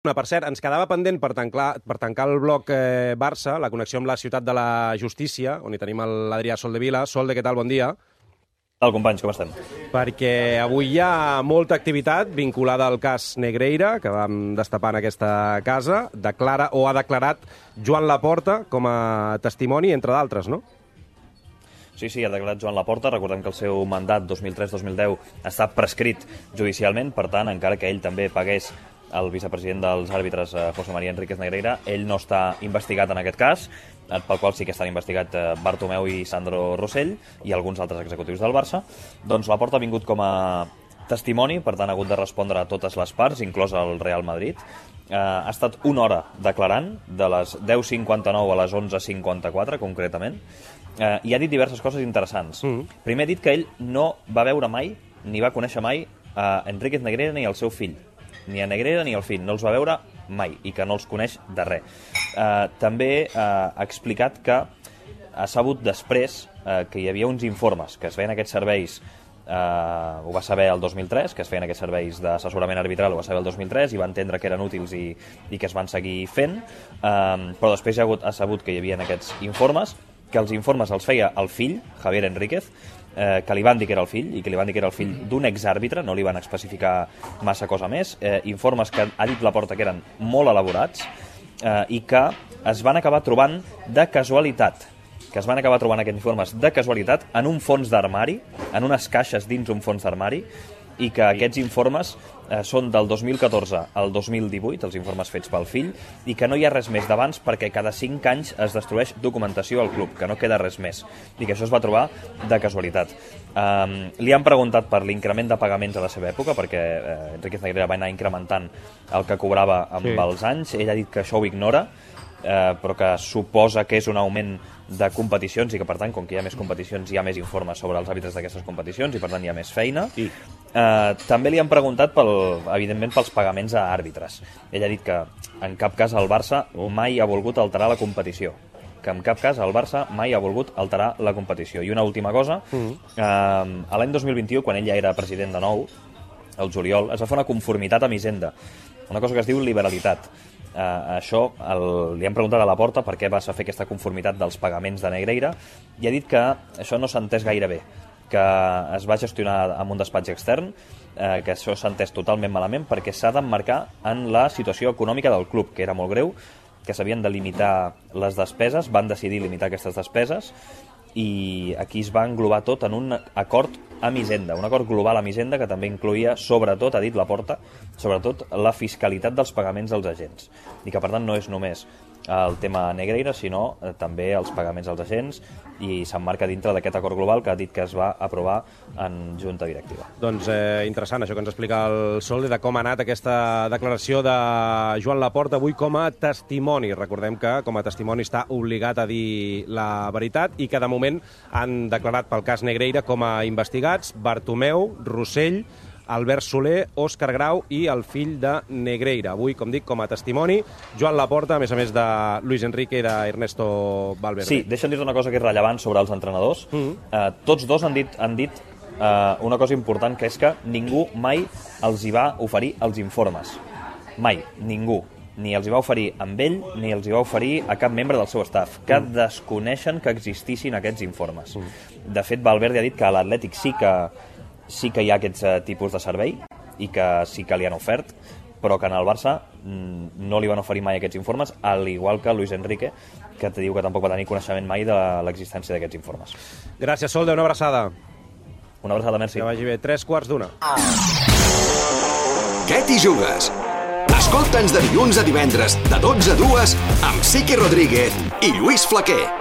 Per cert, ens quedava pendent per tancar el bloc Barça, la connexió amb la ciutat de la justícia, on hi tenim l'Adrià Soldevila. Solde, què tal? Bon dia. Què tal, companys? Com estem? Perquè avui hi ha molta activitat vinculada al cas Negreira, que vam destapar en aquesta casa. Declara o ha declarat Joan Laporta com a testimoni, entre d'altres, no? Sí, ha declarat Joan Laporta. Recordem que el seu mandat 2003-2010 està prescrit judicialment, per tant, encara que ell també pagués el vicepresident dels àrbitres, José María Enríquez Negreira, ell no està investigat en aquest cas, pel qual sí que estan investigats Bartomeu i Sandro Rosell i alguns altres executius del Barça. Doncs Laporta ha vingut com a testimoni, per tant ha hagut de respondre a totes les parts, inclòs el Real Madrid. Ha estat una hora declarant, de les 10:59 a les 11:54, concretament, i ha dit diverses coses interessants. Primer ha dit que ell no va veure mai, ni va conèixer mai, a Enríquez Negreira ni al seu fill. Ni a Negreira ni al fill, no els va veure mai i que no els coneix de res. També ha explicat que ha sabut després que hi havia uns informes que es feien aquests serveis, ho va saber el 2003, que es feien aquests serveis d'assessorament arbitral, ho va saber el 2003 i va entendre que eren útils i que es van seguir fent, però després ha sabut que hi havia aquests informes, que els informes els feia el fill, Javier Enríquez, que li van dir que era el fill, i que li van dir que era el fill d'un exàrbitre, no li van especificar massa cosa més, informes que ha dit Laporta que eren molt elaborats i que es van acabar trobant de casualitat, aquests informes de casualitat en un fons d'armari, en unes caixes dins un fons d'armari, i que aquests informes són del 2014 al 2018, els informes fets pel fill, i que no hi ha res més d'abans perquè cada 5 anys es destrueix documentació al club, que no queda res més, i que això es va trobar de casualitat. Li han preguntat per l'increment de pagaments a la seva època, perquè Enríquez Negreira va anar incrementant el que cobrava amb els anys. Ell ha dit que això ho ignora, però que suposa que és un augment de competicions i que, per tant, com que hi ha més competicions, hi ha més informes sobre els àrbitres d'aquestes competicions i, per tant, hi ha més feina. També li han preguntat, evidentment, pels pagaments a àrbitres. Ell ha dit que en cap cas el Barça mai ha volgut alterar la competició. Que en cap cas el Barça mai ha volgut alterar la competició. I una última cosa, a l'any 2021, quan ell ja era president de nou, el juliol, es va fer una conformitat amb Hisenda, una cosa que es diu liberalitat. Això li han preguntat a Laporta per què va fer aquesta conformitat dels pagaments de Negreira i ha dit que això no s'ha entès gaire bé, que es va gestionar amb un despatx extern, que això s'ha entès totalment malament perquè s'ha d'emmarcar en la situació econòmica del club, que era molt greu, que s'havien de limitar les despeses, van decidir limitar aquestes despeses i aquí es va englobar tot en un acord amb Hisenda, un acord global amb Hisenda que també incloïa, sobretot, ha dit Laporta, sobretot la fiscalitat dels pagaments dels agents i que per tant no és només el tema Negreira, sinó també els pagaments als agents i s'emmarca dintre d'aquest acord global que ha dit que es va aprovar en junta directiva. Doncs interessant això que ens explica el Solde de com ha anat aquesta declaració de Joan Laporta avui com a testimoni. Recordem que com a testimoni està obligat a dir la veritat i que de moment han declarat pel cas Negreira com a investigats Bartomeu, Rosell, Albert Soler, Òscar Grau i el fill de Negreira. Avui, com dic, com a testimoni, Joan Laporta, a més de Luis Enrique i d'Ernesto Valverde. Sí, deixa'm dir una cosa que és rellevant sobre els entrenadors. Tots dos han dit una cosa important, que és que ningú mai els hi va oferir els informes. Mai, ningú. Ni els hi va oferir amb ell, ni els hi va oferir a cap membre del seu staff, que desconeixen que existissin aquests informes. De fet, Valverde ha dit que a l'Atlètic sí que hi ha aquests tipus de servei i que sí que li han ofert, però que en el Barça no li van oferir mai aquests informes, al igual que Luis Enrique, que te diu que tampoc va tenir coneixement mai de l'existència d'aquests informes. Gràcies, Solde, una abraçada. Una abraçada, merci. Que vagi bé. 3:15. Què t'hi jugues? Escolta'ns de dilluns a divendres, de 12 a 2, amb Siqui Rodríguez i Lluís Flaquer.